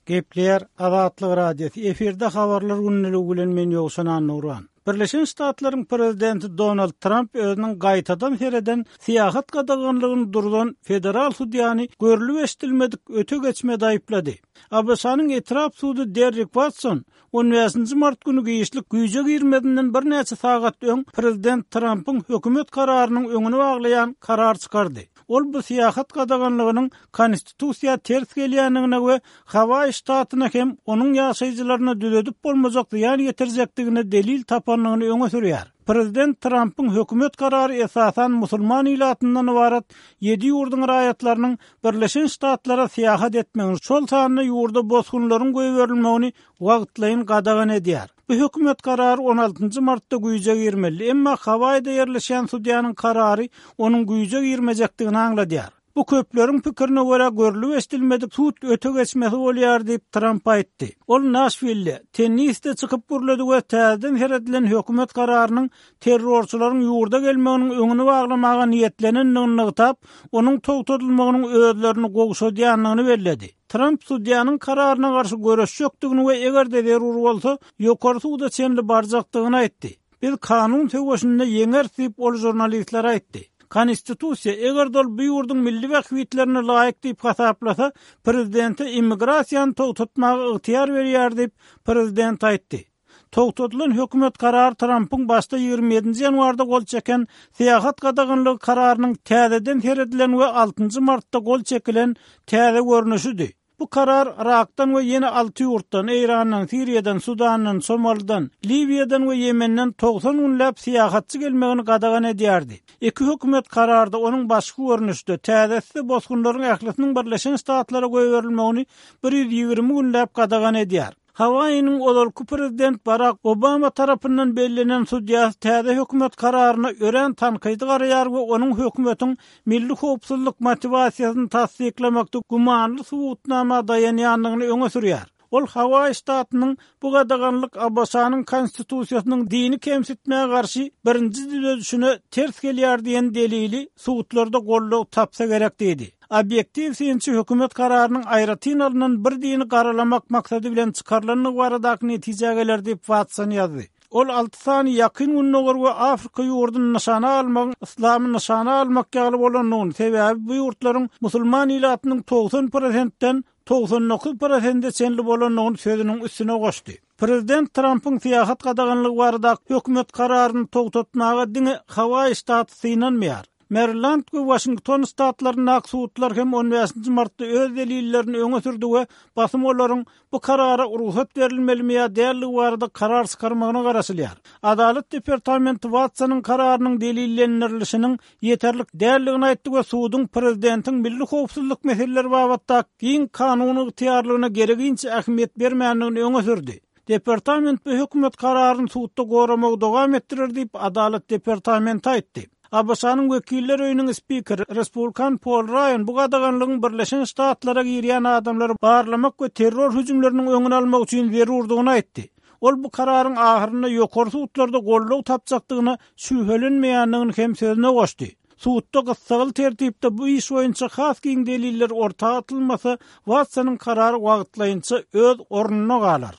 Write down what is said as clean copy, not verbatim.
Gepleýär Azatlyk Radiosy, efirde Habarlar gündeligi bilen men Ýowşan Annagurban. Birleşen Ştatlaryň Prezidenti Donald Tramp özüniň gaýtadan sereden syýahat gadaganlygyny durzan federal sudýany görlüp-eşidilmedik öte geçmede aýyplady. ABŞ-nyň etrap sudy Derrik Watson on bäşinji mart güni giçlik güýje girmezinden birnäçe sagat öň prezident Trampyň hökümet kararynyň öňüni baglaýan karar çykardy. Ol bu syýahat gadaganlygynyň konstitusiýa ters gelýändigine we Hawaý ştatyna hem onuň ýaşaýjylaryna düzedip bolmajak zyýan ýetirjekdigine delil tapandygyny öňe sürýär. Prezident Trampyň hökümet karary esasan musulman ilatyndan ybarat ýedi ýurduň raýatlarynyň Birleşen Ştatlara syýahat etmegini, şol sanda ýurda bosgunlaryň goýberilmegini wagtlaýyn gadagan edýär. Bu hökümet karary on altynjy martda güýje girmeli, emma Hawaýda ýerleşýän sudýanyň karary onuň güýje girmejekdigini aňladýar. Bu köpleriň pikirine görä görlüp-eşidilmedik sud öte geçmesi bolýar diýip, Tramp aýtdy. Ol Naşwilde, Tennisde çykyp gürledi we täzeden seredilen hökümet kararynyň terrorçylaryň ýurda gelmeginiň öňüni baglamaga niýetlenendigini nygtap, onuň togtadylmagynyň özlerini gowşadýandygyny belledi. Tramp sudýanyň kararyna garşy göreşjekdigini we eger-de zerur bolsa, ýokary suda çenli barjakdygyny aýtdy. Biz kanun söweşinde ýeňeris diýip, ol žurnalistlere aýtdy. Konstitusiýa, eger-de ol bu ýurduň milli bähbitlerine laýyk diýip hasaplasa, prezidente immigrasiýany togtatmaga ygtyýar berýär diýip, prezident aýtdy. Togtadylan hökümet karary Trampyň başda 27-nji ýanwarda gol çeken syýahat gadaganlygy kararynyň täzeden seredilen we altynjy martda gol çekilen täze görnüşidi. Bu karar Yrakdan we ýene alty ýurtdan, Eýrandan, Siriýadan, Sudandan, Somalydan, Liwiýadan we Ýemenden 90 günläp syýahatçy gelmegini gadagan edýärdi. Iki hökümet kararda onuň başky görnüşde, täzesi-de bosgunlaryň ählisiniň Birleşen Ştatlara goýberilmegini 120 günläp gadagan edýär. Hawaýiniň ozalky prezident Barak Obama tarapyndan bellenen sudýasy täze hökümet kararyna örän tankydy garaýar we onuň hökümetiň milli howpsuzlyk motiwasiýasyny tassyklamakda gümanly subutnama daýanýandygyny öňe sürýär. Ol Hawaýi ştatynyň bu gadaganlyk ABŞ-nyň Konstitusiýasynyň dini kemsitmä garşy birinji düzedişine ters gelýär diýen delili sudlarda goldaw tapsa gerek diýdi. Obýektiw synçy hökümet kararynyň aýratyn alnan bir dini garalamak maksady bilen çykarylandygy baradaky netijä geler diýip, Watson ýazdy. Ol alty sany Ýakyn Gündogar we Afrika ýurduny nyşana almagyň yslamy nyşana almak ýaly bolandygyny, sebäbi bu ýurtlaryň musulman ilatynyň 90 prosentden 99 prosente çenli bolandygyny sözüniň üstüne goşdy. Prezident Trampyň syýahat gadaganlygy baradaky hökümet kararyny togtatmaga diňe Hawaýi ştaty synanmaýar. Meriland we Waşington ştatlaryndaky sudlar hem on bäşinji martda öz delillerini öňe sürdi we basym olaryň bu karara rugsat berilmelimi ýa däldigi barada karar çykarmagyna garaşylýar. Adalat departamenti Watsonyň kararynyň delillendirilişiniň ýeterlik däldigini aýtdy we suduň prezidentiň milli howpsuzlyk meseleleri babatdaky giň kanuny ygtyýarlygyna gereginçe ähmiýet bermändigini öňe sürdi. Departament bu hökümet kararyny sudda goramagy dowam etdirer diýip, Adalat departamenti aýtdy. ABŞ-nyň Wekiller öýüniň spikeri, respublikan Pol Raýan bu gadaganlygyň Birleşen Ştatlara girýän adamlary barlamak we terror hüjümleriniň öňüni almak üçin zerurdygyny aýtdy. Ol bu kararyň ahyrynda ýokary sudlarda goldaw tapjakdygyna şübhelenmeýändigini hem sözüne goşdy. Sudda gyssagly tertipde bu iş boýunça has giň deliller orta atylmasa, Watsonyň karary wagtlaýynça öz ornunda galar.